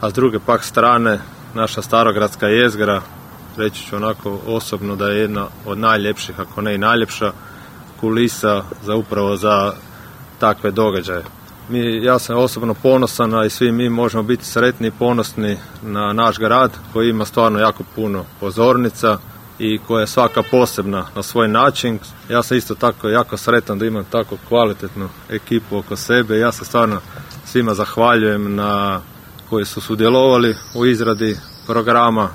a s druge pak strane naša starogradska jezgra, reći ću onako osobno da je jedna od najljepših, ako ne i najljepša kulisa upravo za takve događaje. Ja sam osobno ponosan, a i svi mi možemo biti sretni i ponosni na naš grad koji ima stvarno jako puno pozornica i koja je svaka posebna na svoj način. Ja sam isto tako jako sretan da imam tako kvalitetnu ekipu oko sebe. Ja se stvarno svima zahvaljujem koji su sudjelovali u izradi programa.